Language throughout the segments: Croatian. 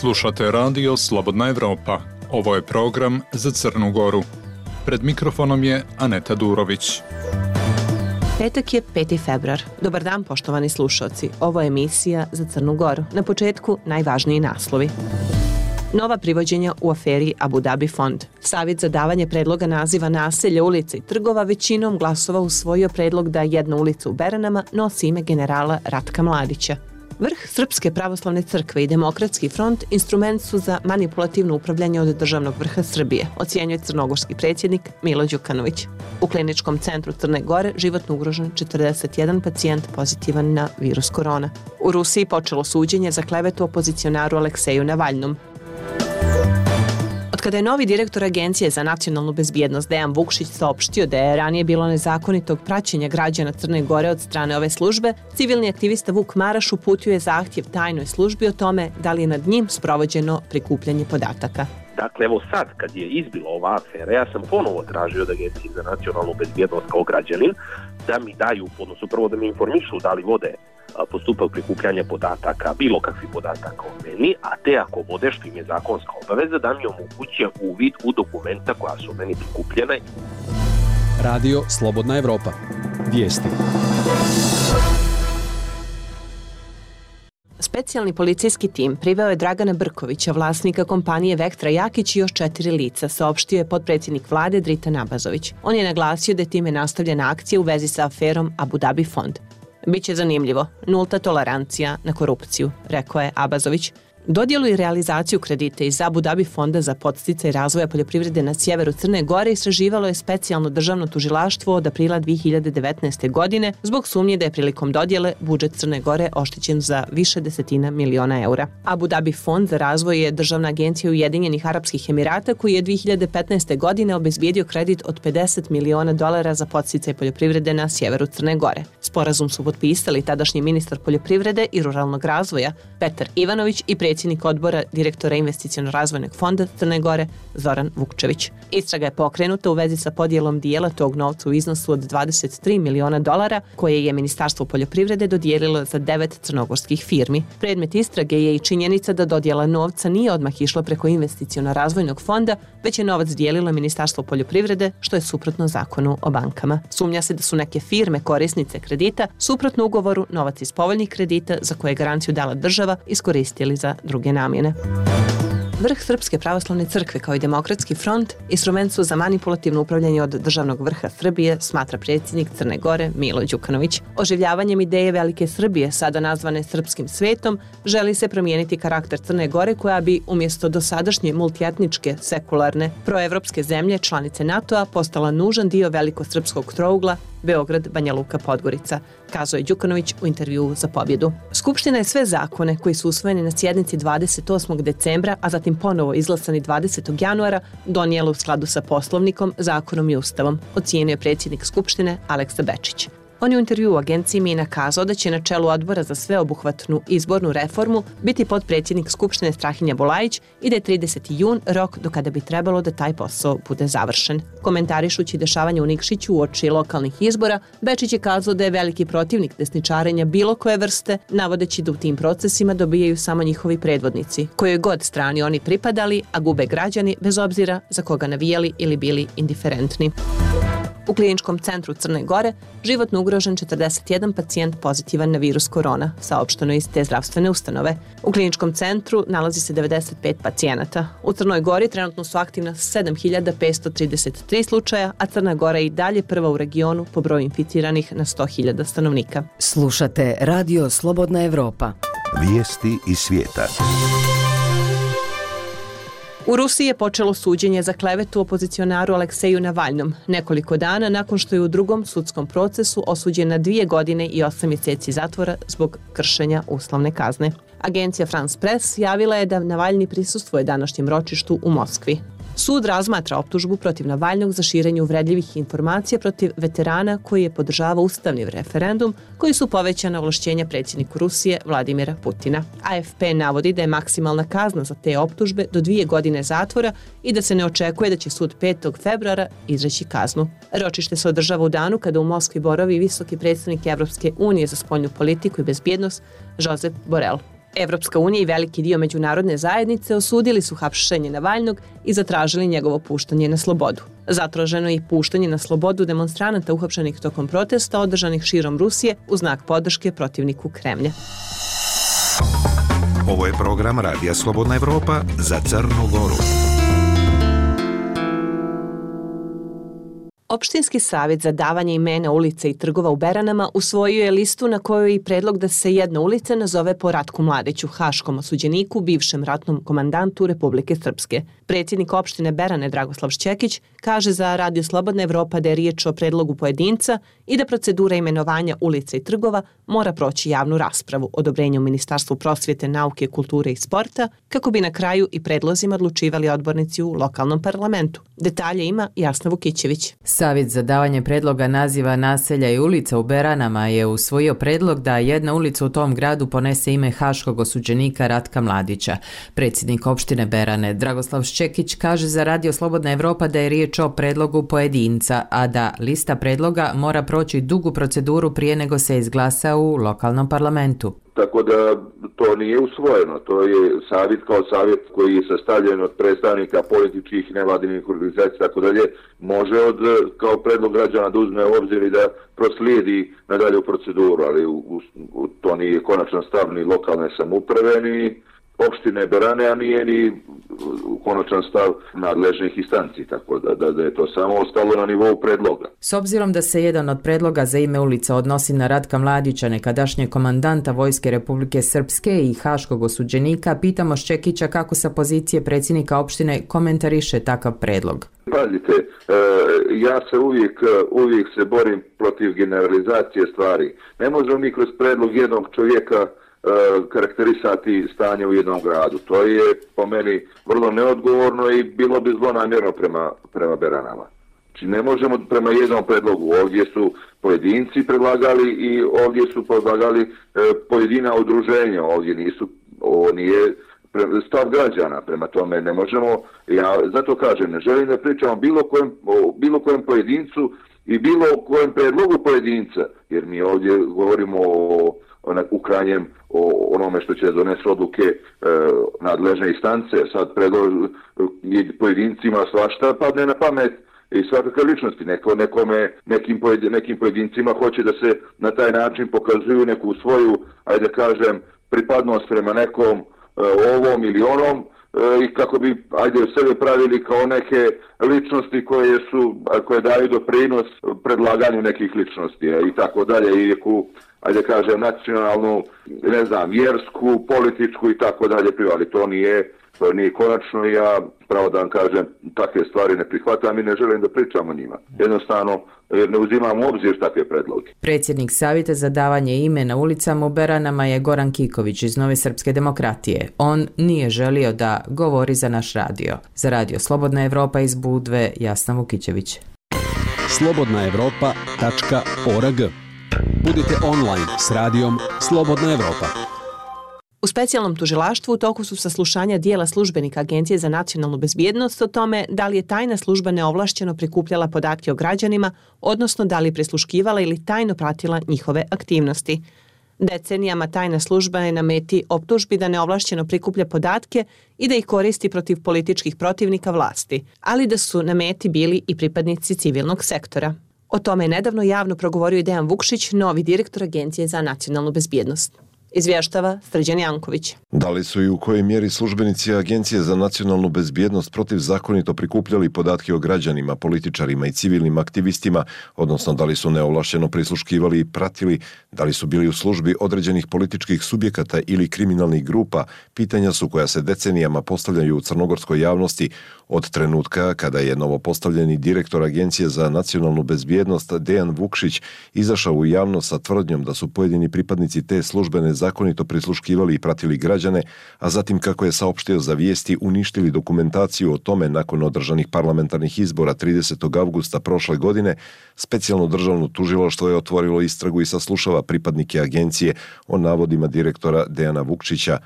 Slušate radio Slobodna Evropa. Ovo je program za Crnu Goru. Pred mikrofonom je Aneta Durović. Petak je 5. februar. Dobar dan, poštovani slušalci. Ovo je emisija za Crnu Goru. Na početku najvažniji naslovi. Nova privođenja u aferi Abu Dhabi fond. Savjet za davanje predloga naziva naselja, ulica i trgova većinom glasova usvojio predlog da jedna ulica u Beranama nosi ime generala Ratka Mladića. Vrh Srpske pravoslavne crkve i Demokratski front instrument su za manipulativno upravljanje od državnog vrha Srbije, ocjenjuje crnogorski predsjednik Milo Đukanović. U kliničkom centru Crne Gore životno ugrožen 41 pacijent pozitivan na virus korona. U Rusiji počelo suđenje za klevetu opozicionaru Alekseju Navalnom. Kada je novi direktor Agencije za nacionalnu bezbjednost Dejan Vukšić saopštio da je ranije bilo nezakonitog praćenja građana Crne Gore od strane ove službe, civilni aktivista Vuk Maraš uputio je zahtjev tajnoj službi o tome da li je nad njim sprovođeno prikupljanje podataka. Dakle, evo sad, kad je izbila ova afera, ja sam ponovo tražio od Agencije za nacionalnu bezbjednost kao građanin da mi daju, odnosno prvo da mi informišu da li vode postupak prikupljanja podataka, bilo kakvih podataka o meni, a te ako vode, što im je zakonska obaveza, da mi omoguće uvid u dokumenta koja su meni prikupljena. Radio Slobodna Evropa. Vijesti. Specijalni policijski tim priveo je Dragana Brkovića, vlasnika kompanije Vektra Jakić i još 4 lica, saopštio je potpredsjednik vlade Dritan Abazović. On je naglasio da je time nastavljena akcija u vezi sa aferom Abu Dhabi fond. Biće zanimljivo, nulta tolerancija na korupciju, rekao je Abazović. Dodjelu i realizaciju kredita iz Abu Dhabi fonda za podsticaj razvoja poljoprivrede na sjeveru Crne Gore istraživalo je specijalno državno tužilaštvo od aprila 2019. godine zbog sumnje da je prilikom dodjele budžet Crne Gore oštećen za više desetina miliona eura. Abu Dhabi fond za razvoj je državna agencija Ujedinjenih Arapskih Emirata koji je 2015. godine obezbijedio kredit od $50 miliona za podsticaj poljoprivrede na sjeveru Crne Gore. Sporazum su potpisali tadašnji ministar poljoprivrede i ruralnog razvoja Petar Ivanović i predsjednik odbora direktora investiciono-razvojnog fonda Crne Gore Zoran Vukčević. Istraga je pokrenuta u vezi sa podjelom dijela tog novca u iznosu od $23 miliona koje je Ministarstvo poljoprivrede dodijelilo za 9 crnogorskih firmi. Predmet istrage je i činjenica da dodjela novca nije odmah išla preko investiciono-razvojnog fonda, već je novac dijelilo Ministarstvo poljoprivrede, što je suprotno zakonu o bankama. Sumnja se da su neke firme korisnice kredita suprotno ugovoru novac iz povoljnih kredita za koje je garanciju dala država iskoristili za druge namjene. Vrh Srpske pravoslavne crkve kao i Demokratski front instrument su za manipulativno upravljanje od državnog vrha Srbije, smatra predsjednik Crne Gore Milo Đukanović. Oživljavanjem ideje Velike Srbije, sada nazvane srpskim svetom, želi se promijeniti karakter Crne Gore koja bi umjesto dosadašnje multietničke, sekularne, proevropske zemlje, članice NATO-a, postala nužan dio velikosrpskog trougla Beograd, Banja Luka, Podgorica, kazao je Đukanović u intervjuu za Pobjedu. Skupština je sve zakone koji su usvojeni na sjednici 28. decembra, a zatim ponovo izglasani 20. januara, donijela u skladu sa Poslovnikom, zakonom i Ustavom, ocijenio je predsjednik Skupštine Aleksa Bečić. On je u intervjuu u agenciji Mina kazao da će na čelu odbora za sveobuhvatnu izbornu reformu biti potpredsjednik Skupštine Strahinja Bulajić i da je 30. jun rok do kada bi trebalo da taj posao bude završen. Komentarišući dešavanje u Nikšiću uoči lokalnih izbora, Bečić je kazao da je veliki protivnik desničarenja bilo koje vrste, navodeći da u tim procesima dobijaju samo njihovi predvodnici, kojoj god strani oni pripadali, a gube građani bez obzira za koga navijali ili bili indiferentni. U kliničkom centru Crne Gore životno ugrožen 41 pacijent pozitivan na virus korona, saopšteno iz te zdravstvene ustanove. U kliničkom centru nalazi se 95 pacijenata. U Crnoj Gori trenutno su aktivna 7533 slučaja, a Crna Gora je i dalje prva u regionu po broju inficiranih na 100.000 stanovnika. Slušate Radio Slobodna Evropa. Vijesti iz svijeta. U Rusiji je počelo suđenje za klevetu opozicionaru Alekseju Navalnom, nekoliko dana nakon što je u drugom sudskom procesu osuđen na 2 godine i 8 mjeseci zatvora zbog kršenja uslovne kazne. Agencija France Press javila je da Navalni prisustvuje današnjem ročištu u Moskvi. Sud razmatra optužbu protiv Navalnog za širenje uvredljivih informacija protiv veterana koji je podržavao ustavni referendum, koji su povećana ovlašćenja predsjedniku Rusije Vladimira Putina. AFP navodi da je maksimalna kazna za te optužbe do 2 godine zatvora i da se ne očekuje da će sud 5. februara izreći kaznu. Ročište se održava u danu kada u Moskvi boravi visoki predstavnik Evropske unije za spoljnu politiku i bezbjednost Josep Borrell. Evropska unija i veliki dio međunarodne zajednice osudili su hapšenje Navalnog i zatražili njegovo puštanje na slobodu. Zatraženo je i puštanje na slobodu demonstranata uhapšenih tokom protesta održanih širom Rusije u znak podrške protivniku Kremlja. Ovo je program Radija Slobodna Evropa za Crnu Goru. Opštinski savjet za davanje imena ulica i trgova u Beranama usvojio je listu na kojoj je i predlog da se jedna ulica nazove po Ratku Mladiću, haškom osuđeniku, bivšem ratnom komandantu Republike Srpske. Predsjednik opštine Berane Dragoslav Šćekić kaže za Radio Slobodna Evropa da je riječ o predlogu pojedinca i da procedura imenovanja ulica i trgova mora proći javnu raspravu, odobrenje u Ministarstvu prosvjete, nauke, kulture i sporta, kako bi na kraju i predlozima odlučivali odbornici u lokalnom parlamentu. Detalje ima Jasna Vukićević. Savjet za davanje predloga naziva naselja i ulica u Beranama je usvojio predlog da jedna ulica u tom gradu ponese ime haškog osuđenika Ratka Mladića. Predsjednik opštine Berane Dragoslav Šćekić kaže za Radio Slobodna Evropa da je riječ o predlogu pojedinca, a da lista predloga mora proći dugu proceduru prije nego se izglasa u lokalnom parlamentu. Tako da to nije usvojeno, to je savjet kao savjet koji je sastavljen od predstavnika političkih, nevladinih organizacija, tako dalje, može kao predlog građana da uzme u obzir i da proslijedi nadalje u proceduru, ali to nije konačan stav ni lokalne samouprave, ni opštine Berane, a nije ni konačan stav nadležnih instanci, tako da je to samo ostalo na nivou predloga. S obzirom da se jedan od predloga za ime ulica odnosi na Ratka Mladića, nekadašnjeg komandanta Vojske Republike Srpske i haškog osuđenika, pitamo Šćekića kako sa pozicije predsjednika opštine komentariše takav predlog. Pazite, ja se uvijek se borim protiv generalizacije stvari. Ne možemo mi kroz predlog jednog čovjeka karakterisati stanje u jednom gradu. To je po meni vrlo neodgovorno i bilo bi zlonamjerno prema Beranama. Znači ne možemo prema jednom predlogu. Ovdje su pojedinci predlagali i ovdje su predlagali pojedina udruženja. Ovo nije stav građana, prema tome ne možemo. Ja zato kažem, ne želim da pričam o bilo kojem pojedincu i bilo kojem predlogu pojedinca, jer mi ovdje govorimo u krajnjem o onome što će donesti odluke nadležne instance. Sad pojedincima svašta padne na pamet i svakakve ličnosti. Nekim pojedincima hoće da se na taj način pokazuju neku svoju, ajde kažem, pripadnost prema nekom ovom ili onom i kako bi sebe pravili kao neke ličnosti koje daju doprinos predlaganju nekih ličnosti i tako dalje, i nacionalnu, vjersku, političku i tako dalje, ali to nije konačno. Ja pravo da vam kažem, takve stvari ne prihvatam i ne želim da pričam o njima. Jednostavno, jer ne uzimam u obzir takve predloge. Predsjednik Savjeta za davanje imena ulicama u Beranama je Goran Kiković iz Nove Srpske demokratije. On nije želio da govori za naš radio. Za Radio Slobodna Evropa iz Budve, Jasna Vukićević. slobodnaevropa.org. Budite online s radijom Slobodna Evropa. U specijalnom tužilaštvu u toku su saslušanja dijela službenika Agencije za nacionalnu bezbjednost o tome da li je tajna služba neovlašćeno prikupljala podatke o građanima, odnosno da li je prisluškivala ili tajno pratila njihove aktivnosti. Decenijama tajna služba je na meti optužbi da neovlašćeno prikuplja podatke i da ih koristi protiv političkih protivnika vlasti, ali da su na meti bili i pripadnici civilnog sektora. O tome je nedavno javno progovorio i Dejan Vukšić, novi direktor Agencije za nacionalnu bezbjednost. Izvještava Srđan Janković. Da li su i u kojoj mjeri službenici Agencije za nacionalnu bezbjednost protivzakonito prikupljali podatke o građanima, političarima i civilnim aktivistima, odnosno da li su neovlašteno prisluškivali i pratili, da li su bili u službi određenih političkih subjekata ili kriminalnih grupa, pitanja su koja se decenijama postavljaju u crnogorskoj javnosti od trenutka kada je novopostavljeni direktor Agencije za nacionalnu bezbjednost Dejan Vukšić izašao u javnost sa tvrdnjom da su pojedini pripadnici te službe nezakonito prisluškivali i pratili građane, a zatim, kako je saopštio za Vijesti, uništili dokumentaciju o tome nakon održanih parlamentarnih izbora 30. avgusta prošle godine. Specijalno državno tužilaštvo je otvorilo istragu i saslušava pripadnike agencije o navodima direktora Dejana Vukšića.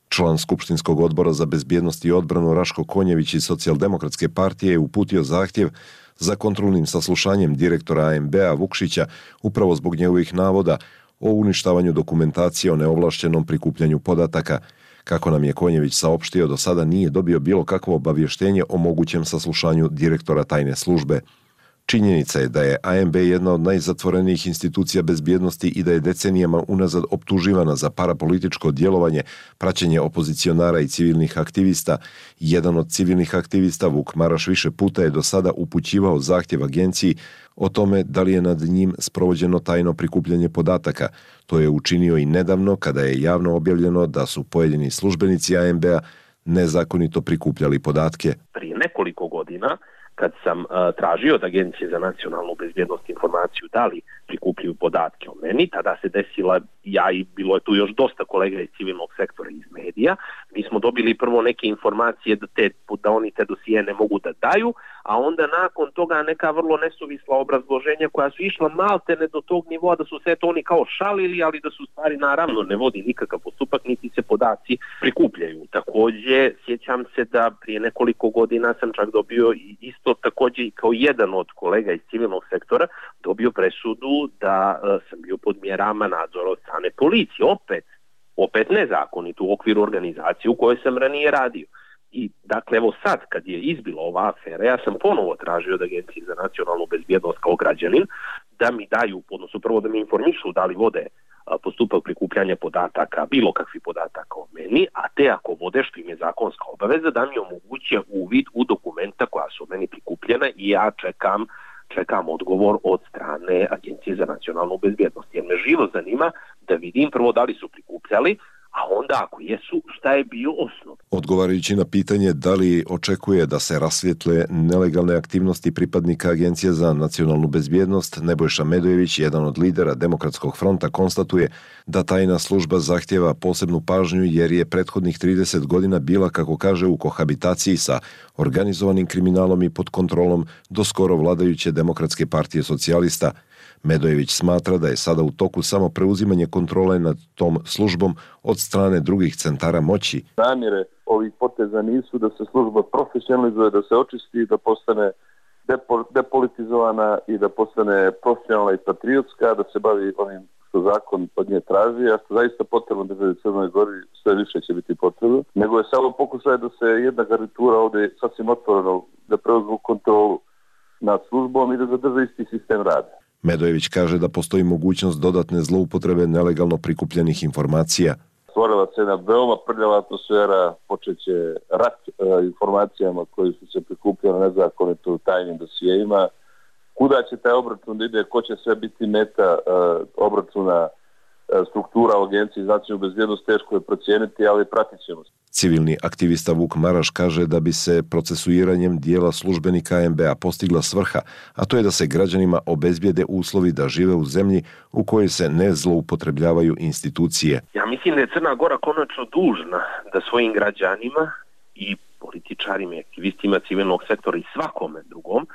Član Skupštinskog odbora za bezbjednost i odbranu Raško Konjević iz Socijaldemokratske partije je uputio zahtjev za kontrolnim saslušanjem direktora ANB-a Vukšića upravo zbog njegovih navoda o uništavanju dokumentacije o neovlaštenom prikupljanju podataka. Kako nam je Konjević saopštio, do sada nije dobio bilo kakvo obavještenje o mogućem saslušanju direktora tajne službe. Činjenica je da je ANB jedna od najzatvorenijih institucija bezbjednosti i da je decenijama unazad optuživana za parapolitičko djelovanje, praćenje opozicionara i civilnih aktivista. Jedan od civilnih aktivista, Vuk Maraš, više puta je do sada upućivao zahtjev agenciji o tome da li je nad njim sprovođeno tajno prikupljanje podataka. To je učinio i nedavno kada je javno objavljeno da su pojedini službenici ANB-a nezakonito prikupljali podatke. Prije nekoliko godina, kad sam tražio od Agencije za nacionalnu bezbjednost informaciju da li prikupljaju podatke o meni, tada se desila ja i bilo je tu još dosta kolega iz civilnog sektora i iz medija. Mi smo dobili prvo neke informacije da oni te dosije ne mogu da daju, a onda nakon toga neka vrlo nesuvisla obrazloženja koja su išla maltene do tog nivoa da su sve to oni kao šalili, ali da su stvari naravno ne vodi nikakav postupak, niti se podaci prikupljaju. Također, sjećam se da prije nekoliko godina sam čak dobio isto također kao jedan od kolega iz civilnog sektora dobio presudu da sam bio pod mjerama nadzora od strane policije, opet nezakonito u okviru organizacije u kojoj sam ranije radio. I dakle, evo sad kad je izbila ova afera, ja sam ponovo tražio od Agencije za nacionalnu bezbjednost kao građanin da mi daju, odnosno prvo da mi informišu da li vode postupak prikupljanja podataka, bilo kakvih podataka o meni, a te ako vode, što im je zakonska obaveza, da mi omoguće uvid u dokumenta koja su o meni prikupljena i ja čekam odgovor od strane Agencije za nacionalnu bezbjednost. Jer me živo zanima da vidim prvo da li su prikupljali, a onda ako jesu, šta je bio osnov. Odgovarajući na pitanje da li očekuje da se rasvijetle nelegalne aktivnosti pripadnika Agencije za nacionalnu bezbjednost, Nebojša Medojević, jedan od lidera Demokratskog fronta, konstatuje da tajna služba zahtjeva posebnu pažnju jer je prethodnih 30 godina bila, kako kaže, u kohabitaciji sa organizovanim kriminalom i pod kontrolom do skoro vladajuće Demokratske partije socijalista. Medojević smatra da je sada u toku samo preuzimanje kontrole nad tom službom od strane drugih centara moći. Namjere ovih poteza nisu da se služba profesionalizuje, da se očisti, da postane depolitizovana i da postane profesionalna i patriotska, da se bavi onim što zakon od nje traži, a što zaista potrebno državi u Crnoj Gori, sve više će biti potrebno, nego je samo pokušaj da se jedna garnitura ovdje sasvim otvoreno da preuzmu kontrolu nad službom i da zadrže isti sistem rada. Medojević kaže da postoji mogućnost dodatne zloupotrebe nelegalno prikupljenih informacija. Stvorila se jedna veoma prljava atmosfera, počeće rat informacijama koji su se prikupljali nezakonito u tajnim dosijeima. Kuda će taj obračun da ide, ko će sve biti meta obračuna, struktura u Agenciji za nacionalnu bezbjednost, teško je procijeniti, ali pratit ćemo se. Civilni aktivista Vuk Maraš kaže da bi se procesuiranjem dijela službenika ANB-a postigla svrha, a to je da se građanima obezbijede uslovi da žive u zemlji u kojoj se ne zloupotrebljavaju institucije. Ja mislim da je Crna Gora konačno dužna da svojim građanima i političarima i aktivistima civilnog sektora i svakome drugom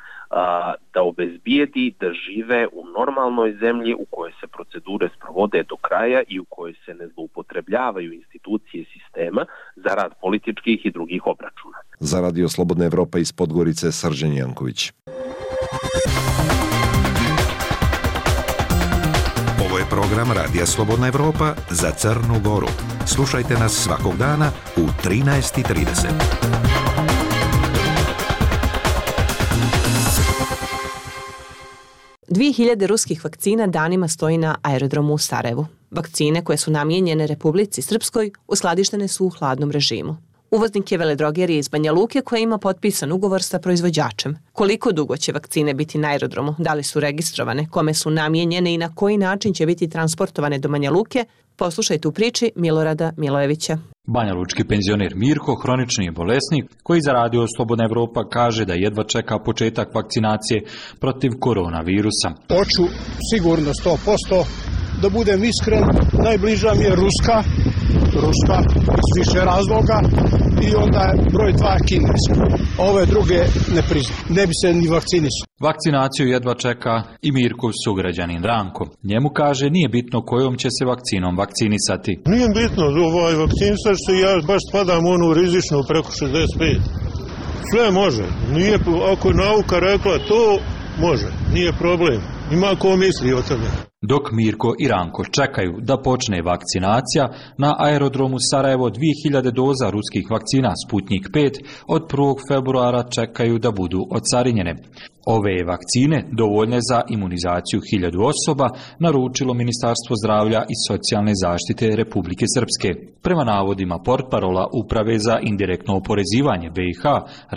da obezbijedi da žive u normalnoj zemlji u kojoj se procedure sprovode do kraja i u kojoj se ne zloupotrebljavaju institucije sistema za rad političkih i drugih obračuna. Za Radio Slobodna Evropa iz Podgorice, Srđan Janković. Ovo je program Radija Slobodna Evropa za Crnu Goru. Slušajte nas svakog dana u 13:30. 2000 ruskih vakcina danima stoji na aerodromu u Sarajevu. Vakcine koje su namijenjene Republici Srpskoj uskladištene su u hladnom režimu. Uvoznik je veledrogerija iz Banja Luke koja ima potpisan ugovor sa proizvođačem. Koliko dugo će vakcine biti na aerodromu, da li su registrovane, kome su namijenjene i na koji način će biti transportovane do Banja Luke, poslušajte u priči Milorada Milojevića. Banjalučki penzioner Mirko, hronični je bolesnik, koji za Radio Slobodna Evropa kaže da jedva čeka početak vakcinacije protiv koronavirusa. Hoću sigurno 100%, da budem iskren, najbliža mi je Ruska iz više razloga i onda je broj 2 Kineska. Ove druge ne priznam, ne bi se ni vakcinisao. Vakcinaciju jedva čeka i Mirkov sugrađanin Ranko. Njemu kaže nije bitno kojom će se vakcinom vakcinisati. Nije bitno vakcinisati se, ja baš spadam u onu rizičnu preko 65. Sve može, nije, ako je nauka rekla to, može, nije problem. Ima ko misli o tome. Dok Mirko i Ranko čekaju da počne vakcinacija, na aerodromu Sarajevo 2000 doza ruskih vakcina Sputnik 5 od 1. februara čekaju da budu ocarinjene. Ove vakcine, dovoljne za imunizaciju 1000 osoba, naručilo Ministarstvo zdravlja i socijalne zaštite Republike Srpske. Prema navodima portparola Uprave za indirektno oporezivanje BiH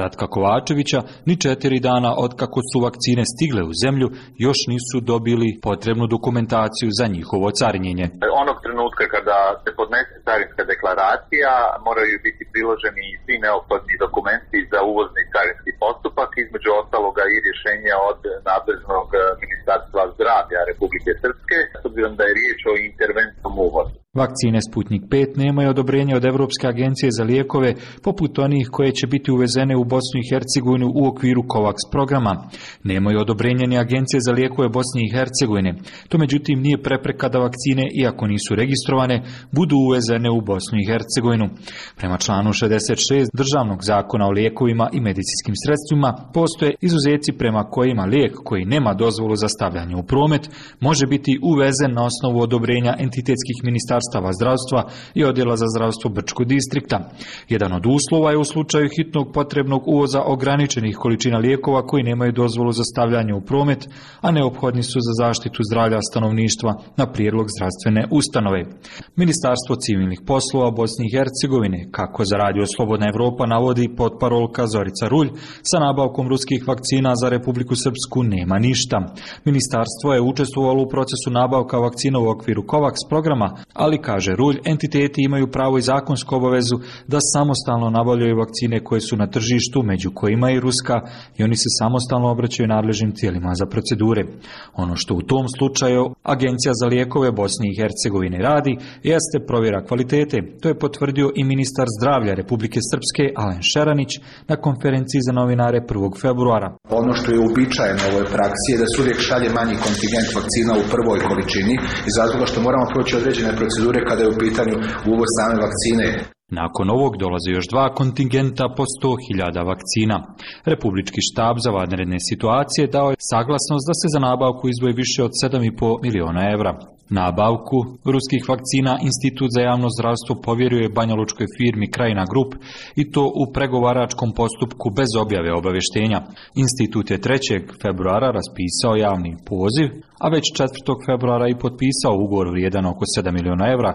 Ratka Kovačevića, ni 4 dana otkako su vakcine stigle u zemlju, još nisu dobili potrebnu dokumentaciju za njihovo carinjenje. Onog trenutka kada se podnese carinska deklaracija, moraju biti priloženi svi neophodni dokumenti za uvozni carinski postupak, između ostaloga i rješenja od nadležnog Ministarstva zdravlja Republike Srpske, s obzirom da je riječ o interventnom uvozu. Vakcine Sputnik 5 nemaju odobrenje od Europske agencije za lijekove, poput onih koje će biti uvezene u Bosnu i Hercegovinu u okviru COVAX programa. Nemaju odobrenje ni Agencije za lijekove Bosne i Hercegovine. To međutim nije prepreka da vakcine, iako nisu registrovane, budu uvezene u Bosnu i Hercegovinu. Prema članu 66 Državnog zakona o lijekovima i medicinskim sredstvima postoje izuzeci prema kojima lijek koji nema dozvolu za stavljanje u promet može biti uvezen na osnovu odobrenja entitetskih ministarstava zdravstva i odjela za zdravstvo Brčkog distrikta. Jedan od uslova je u slučaju hitnog potrebnog uvoza ograničenih količina lijekova koji nemaju dozvolu za stavljanje u promet, a neophodni su za zaštitu zdravlja stanovništva na prijedlog zdravstvene ustanove. Ministarstvo civilnih poslova Bosne i Hercegovine, kako za Radio Slobodna Evropa navodi potparolka Zorica Rulj, sa nabavkom ruskih vakcina za Republiku Srpsku nema ništa. Ministarstvo je učestvovalo u procesu nabavka vakcina u okviru COVAX programa, ali, kaže Rulj, entiteti imaju pravo i zakonsku obavezu da samostalno nabavljaju vakcine koje su na tržištu, među kojima i ruska, i oni se samostalno obraćaju nadležnim tijelima za procedure. Ono što u tom slučaju Agencija za lijekove Bosne i Hercegovine radi jeste provjera kvalitete. To je potvrdio i ministar zdravlja Republike Srpske Alen Šeranić na konferenciji za novinare 1. februara. Ono što je uobičajeno u ovoj praksi je da se uvijek šalje manji kontingent vakcina u prvoj količini iz razloga što moramo proći određene procedure kada je u pitanju uvoz same vakcine. Nakon ovog dolaze još 2 kontingenta po 100.000 vakcina. Republički štab za vanredne situacije dao je saglasnost da se za nabavku izdvoji više od 7,5 miliona evra. Nabavku ruskih vakcina Institut za javno zdravstvo povjeruje banjalučkoj firmi Krajina Grup i to u pregovaračkom postupku bez objave obavještenja. Institut je 3. februara raspisao javni poziv, a već 4. februara i potpisao ugovor vrijedan oko 7 miliona evra.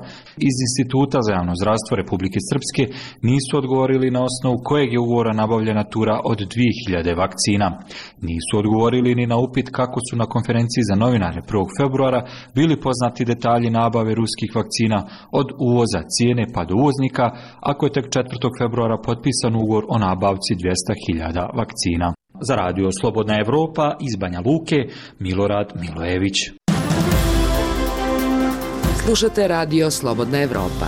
Iz Instituta za javno zdravstvo Republike Srpske nisu odgovorili na osnovu kojeg je ugovora nabavljena tura od 2000 vakcina. Nisu odgovorili ni na upit kako su na konferenciji za novinare 1. februara bili poznati detalji nabave ruskih vakcina od uvoza, cijene pa do uvoznika, ako je tek 4. februara potpisan ugovor o nabavci 200.000 vakcina. Za Radio Slobodna Evropa iz Banja Luke, Milorad Milojević. Slušate Radio Slobodna Evropa.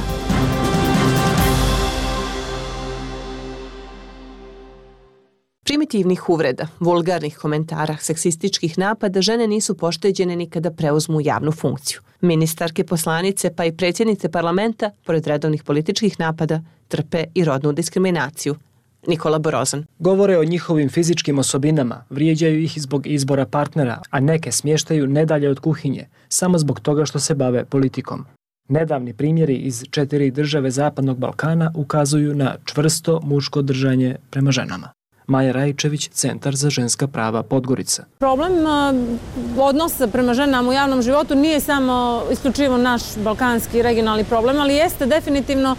Primitivnih uvreda, vulgarnih komentara, seksističkih napada žene nisu pošteđene ni kada preuzmu javnu funkciju. Ministarke, poslanice pa i predsjednice parlamenta, pored redovnih političkih napada, trpe i rodnu diskriminaciju. Nikola Borozan. Govore o njihovim fizičkim osobinama, vrijeđaju ih zbog izbora partnera, a neke smještaju nedalje od kuhinje, samo zbog toga što se bave politikom. Nedavni primjeri iz 4 države Zapadnog Balkana ukazuju na čvrsto muško držanje prema ženama. Maja Rajčević, Centar za ženska prava Podgorica. Problem odnosa prema ženama u javnom životu nije samo isključivo naš balkanski regionalni problem, ali jeste definitivno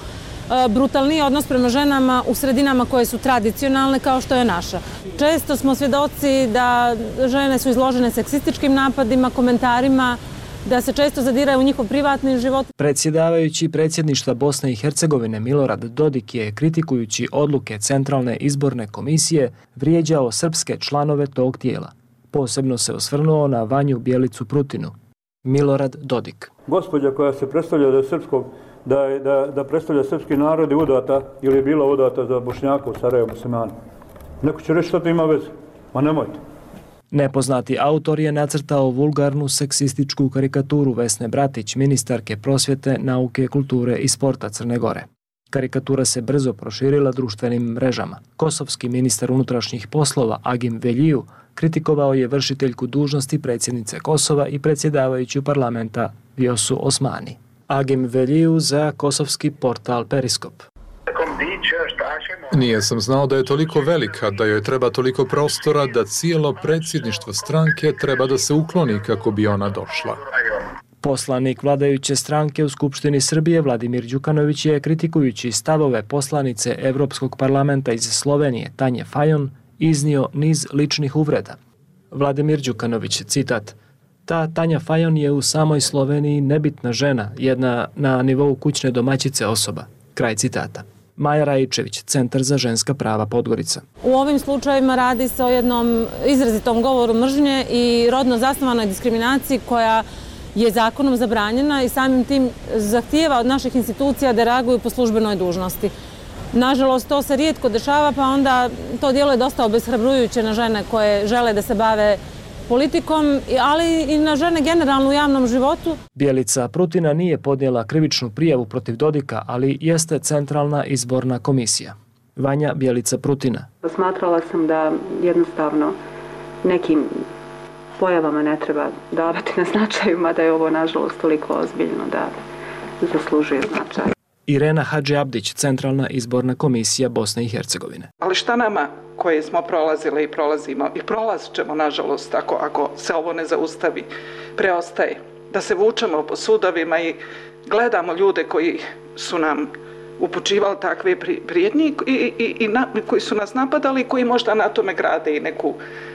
brutalniji odnos prema ženama u sredinama koje su tradicionalne kao što je naša. Često smo svjedoci da žene su izložene seksističkim napadima, komentarima, da se često zadiraju u njihov privatni život. Predsjedavajući predsjedništva Bosne i Hercegovine Milorad Dodik je, kritikujući odluke Centralne izborne komisije, vrijeđao srpske članove tog tijela. Posebno se osvrnuo na Vanju Bjelicu Prutinu. Milorad Dodik. Gospođa koja se predstavlja da je srpskog, da predstavlja srpski narod i udata ili je bila udata za Bošnjaka u Sarajevu muslimana. Neko će reći što to ima veze, ma nemojte. Nepoznati autor je nacrtao vulgarnu seksističku karikaturu Vesne Bratić, ministarke prosvjete, nauke, kulture i sporta Crne Gore. Karikatura se brzo proširila društvenim mrežama. Kosovski ministar unutrašnjih poslova Agim Veljiju kritikovao je vršiteljku dužnosti predsjednice Kosova i predsjedavajuću parlamenta Vjosu Osmani. Agim Veljiju za kosovski portal Periskop. Nije sam znao da je toliko velika, da joj treba toliko prostora, da cijelo predsjedništvo stranke treba da se ukloni kako bi ona došla. Poslanik vladajuće stranke u Skupštini Srbije Vladimir Đukanović je, kritikujući stavove poslanice Evropskog parlamenta iz Slovenije Tanje Fajon, iznio niz ličnih uvreda. Vladimir Đukanović, citat: "Ta Tanja Fajon je u samoj Sloveniji nebitna žena, jedna na nivou kućne domaćice osoba." Kraj citata. Maja Rajičević, Centar za ženska prava Podgorica. U ovim slučajevima radi se o jednom izrazitom govoru mržnje i rodno zasnovanoj diskriminaciji koja je zakonom zabranjena i samim tim zahtijeva od naših institucija da reaguju po službenoj dužnosti. Nažalost, to se rijetko dešava, pa onda to djeluje dosta obeshrabrujuće na žene koje žele da se bave politikom, ali i na žene generalno u javnom životu. Bjelica Prutina nije podnijela krivičnu prijavu protiv Dodika, ali jeste Centralna izborna komisija. Vanja Bjelica Prutina. Smatrala sam da jednostavno nekim pojavama ne treba davati na značaju, mada je ovo nažalost toliko ozbiljno da zaslužuje značaj. Irena Hadži Abdić, Centralna izborna komisija Bosne i Hercegovine. Ali šta nama koje smo prolazile i prolazimo i prolazit ćemo nažalost ako se ovo ne zaustavi, preostaje da se vučemo po sudovima i gledamo ljude koji su nam upućivali takve prijetnje i koji su nas napadali i koji možda na tome grade i neku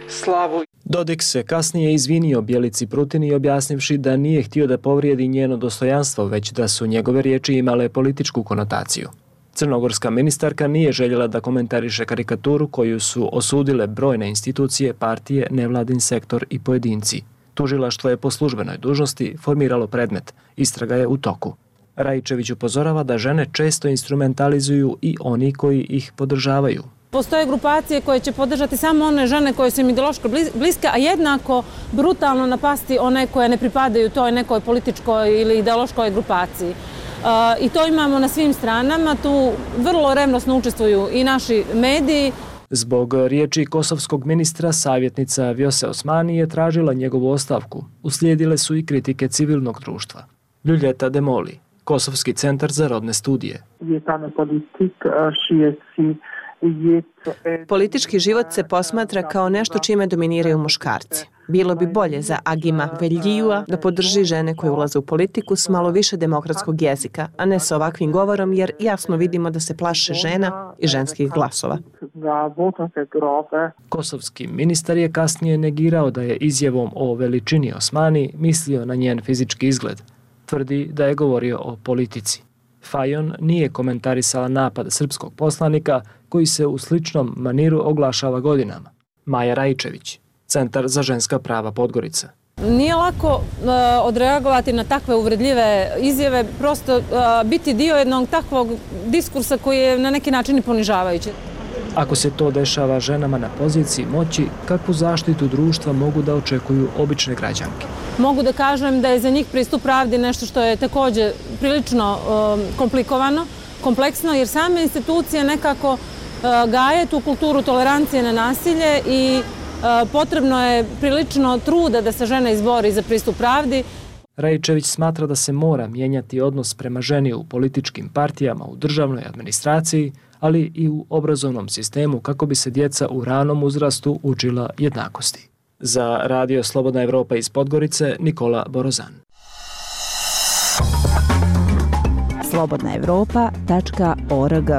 slavu. Dodik se kasnije izvinio Bjelici Prutini objasnivši da nije htio da povrijedi njeno dostojanstvo, već da su njegove riječi imale političku konotaciju. Crnogorska ministarka nije željela da komentariše karikaturu koju su osudile brojne institucije, partije, nevladin sektor i pojedinci. Tužilaštvo je po službenoj dužnosti formiralo predmet. Istraga je u toku. Rajičević upozorava da žene često instrumentalizuju i oni koji ih podržavaju. Postoje grupacije koje će podržati samo one žene koje su im ideološko bliske, a jednako brutalno napasti one koje ne pripadaju toj nekoj političkoj ili ideološkoj grupaciji. I to imamo na svim stranama, tu vrlo revnosno učestvuju i naši mediji. Zbog riječi kosovskog ministra, savjetnica Vjose Osmani je tražila njegovu ostavku. Uslijedile su i kritike civilnog društva. Ljuljeta Demoli, Kosovski centar za rodne studije. Politički život se posmatra kao nešto čime dominiraju muškarci. Bilo bi bolje za Agima Veljijua da podrži žene koje ulaze u politiku s malo više demokratskog jezika, a ne s ovakvim govorom, jer jasno vidimo da se plaše žena i ženskih glasova. Kosovski ministar je kasnije negirao da je izjavom o veličini Osmani mislio na njen fizički izgled. Tvrdi da je govorio o politici. Fajon nije komentarisala napad srpskog poslanika koji se u sličnom maniru oglašava godinama. Maja Rajičević, Centar za ženska prava Podgorica. Nije lako odreagovati na takve uvredljive izjave, prosto biti dio jednog takvog diskursa koji je na neki način i ponižavajući. Ako se to dešava ženama na poziciji moći, kakvu zaštitu društva mogu da očekuju obične građanke? Mogu da kažem da je za njih pristup pravdi nešto što je također prilično komplikovano, kompleksno, jer same institucije nekako gaje tu kulturu tolerancije na nasilje i potrebno je prilično truda da se žena izbori za pristup pravdi. Rajičević smatra da se mora mijenjati odnos prema ženi u političkim partijama, u državnoj administraciji, ali i u obrazovnom sistemu kako bi se djeca u ranom uzrastu učila jednakosti. Za Radio Slobodna Evropa iz Podgorice, Nikola Borozan. slobodnaevropa.org.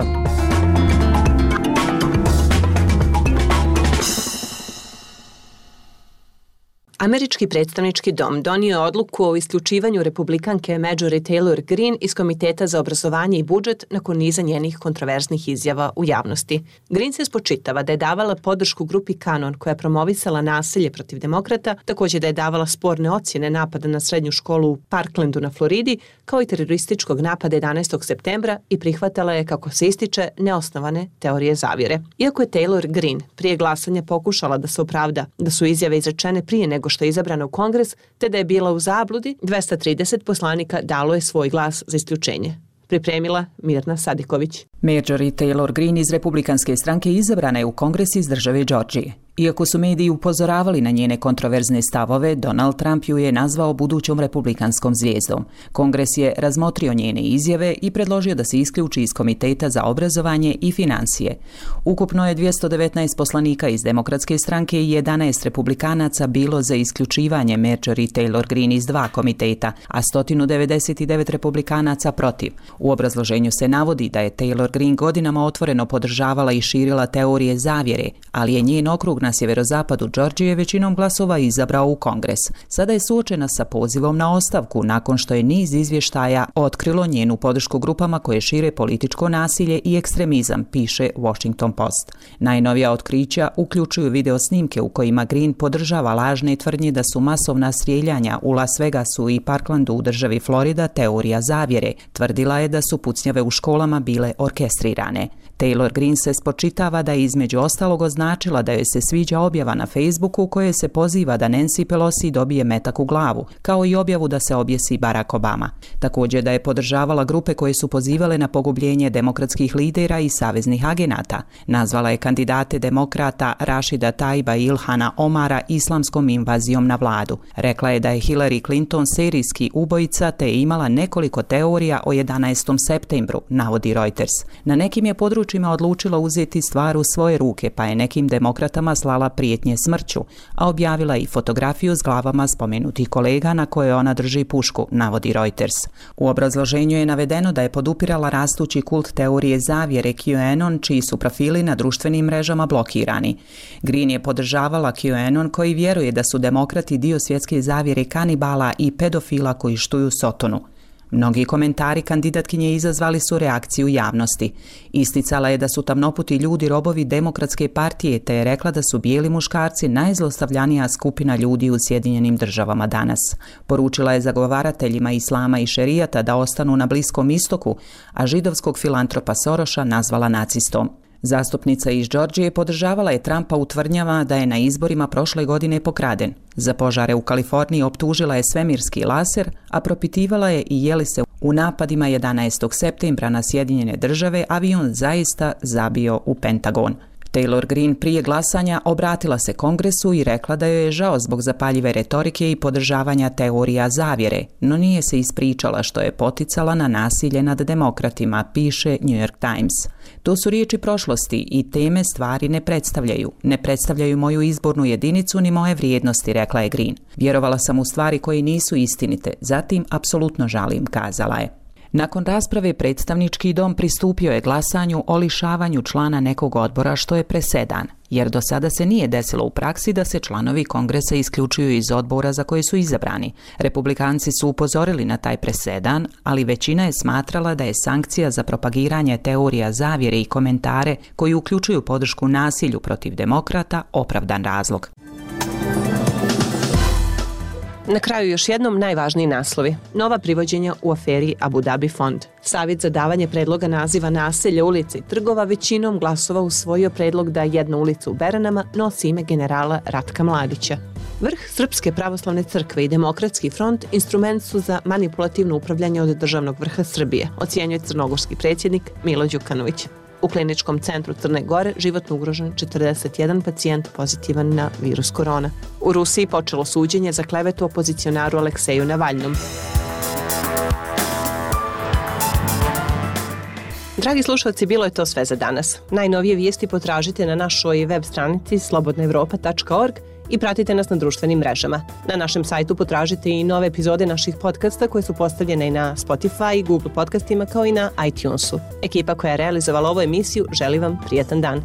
Američki predstavnički dom donio je odluku o isključivanju republikanke Marjorie Taylor Greene iz Komiteta za obrazovanje i budžet nakon niza njenih kontroverznih izjava u javnosti. Greene se spočitava da je davala podršku grupi Kanon koja je promovisala nasilje protiv demokrata, također da je davala sporne ocjene napada na srednju školu u Parklandu na Floridi, kao i terorističkog napada 11. septembra i prihvatala je, kako se ističe, neosnovane teorije zavjere. Iako je Taylor Greene prije glasanja pokušala da se opravda da su izjave izrečene prije nego što je izabrana u Kongres, te da je bila u zabludi, 230 poslanika dalo je svoj glas za isključenje. Pripremila Mirna Sadiković. Marjorie Taylor Greene iz Republikanske stranke izabrana je u Kongres iz države Georgije. Iako su mediji upozoravali na njene kontroverzne stavove, Donald Trump ju je nazvao budućom republikanskom zvijezdom. Kongres je razmotrio njene izjave i predložio da se isključi iz Komiteta za obrazovanje i financije. Ukupno je 219 poslanika iz Demokratske stranke i 11 republikanaca bilo za isključivanje Marjorie Taylor Greene iz 2 komiteta, a 199 republikanaca protiv. U obrazloženju se navodi da je Taylor Greene godinama otvoreno podržavala i širila teorije zavjere, ali je njen okrug na sjeverozapadu Georgije većinom glasova izabrao u Kongres. Sada je suočena sa pozivom na ostavku nakon što je niz izvještaja otkrilo njenu podršku grupama koje šire političko nasilje i ekstremizam, piše Washington Post. Najnovija otkrića uključuju video snimke u kojima Greene podržava lažne tvrdnje da su masovna strijeljanja u Las Vegasu i Parklandu u državi Florida teorija zavjere. Tvrdila je da su pucnjave u školama bile orkestrirane. Taylor Greene se spočitava da je između ostalog označila da joj se sviđa objava na Facebooku u kojoj se poziva da Nancy Pelosi dobije metak u glavu, kao i objavu da se objesi Barack Obama. Također da je podržavala grupe koje su pozivale na pogubljenje demokratskih lidera i saveznih agenata. Nazvala je kandidate demokrata Rashida Taiba i Ilhana Omara islamskom invazijom na vladu. Rekla je da je Hillary Clinton serijski ubojica te je imala nekoliko teorija o 11. septembru, navodi Reuters. Na nekim je područjima odlučila uzeti stvar u svoje ruke, pa je nekim demokratama slala prijetnje smrću, a objavila i fotografiju s glavama spomenutih kolega na koje ona drži pušku, navodi Reuters. U obrazloženju je navedeno da je podupirala rastući kult teorije zavjere QAnon, čiji su profili na društvenim mrežama blokirani. Greene je podržavala QAnon koji vjeruje da su demokrati dio svjetske zavjere kanibala i pedofila koji štuju Sotonu. Mnogi komentari kandidatkinje izazvali su reakciju javnosti. Isticala je da su tamnoputi ljudi robovi Demokratske partije, te je rekla da su bijeli muškarci najzlostavljanija skupina ljudi u Sjedinjenim državama danas. Poručila je zagovarateljima islama i šerijata da ostanu na Bliskom istoku, a židovskog filantropa Soroša nazvala nacistom. Zastupnica iz Georgije podržavala je Trumpa u tvrdnjama da je na izborima prošle godine pokraden. Za požare u Kaliforniji optužila je svemirski laser, a propitivala je i je li se u napadima 11. septembra na Sjedinjene države avion zaista zabio u Pentagon. Taylor Greene prije glasanja obratila se Kongresu i rekla da joj je žao zbog zapaljive retorike i podržavanja teorija zavjere, no nije se ispričala što je poticala na nasilje nad demokratima, piše New York Times. To su riječi prošlosti i teme stvari ne predstavljaju. Ne predstavljaju moju izbornu jedinicu ni moje vrijednosti, rekla je Greene. Vjerovala sam u stvari koje nisu istinite, zatim apsolutno žalim, kazala je. Nakon rasprave predstavnički dom pristupio je glasanju o lišavanju člana nekog odbora, što je presedan, jer do sada se nije desilo u praksi da se članovi Kongresa isključuju iz odbora za koje su izabrani. Republikanci su upozorili na taj presedan, ali većina je smatrala da je sankcija za propagiranje teorija zavjere i komentare koji uključuju podršku nasilju protiv demokrata opravdan razlog. Na kraju još jednom najvažniji naslovi. Nova privođenja u aferi Abu Dhabi fond. Savjet za davanje predloga naziva naselja, ulica i trgova većinom glasova usvojio predlog da jedna ulica u Beranama nosi ime generala Ratka Mladića. Vrh Srpske pravoslavne crkve i Demokratski front instrument su za manipulativno upravljanje od državnog vrha Srbije, ocjenjuje crnogorski predsjednik Milo Đukanović. U kliničkom centru Crne Gore životno ugrožen 41 pacijent pozitivan na virus korona. U Rusiji počelo suđenje za klevetu opozicionaru Alekseju Navalnom. Dragi slušalci, bilo je to sve za danas. Najnovije vijesti potražite na našoj web stranici slobodnaevropa.org i pratite nas na društvenim mrežama. Na našem sajtu potražite i nove epizode naših podcasta koje su postavljene i na Spotify, Google podcastima kao i na iTunesu. Ekipa koja je realizovala ovu emisiju želi vam prijatan dan.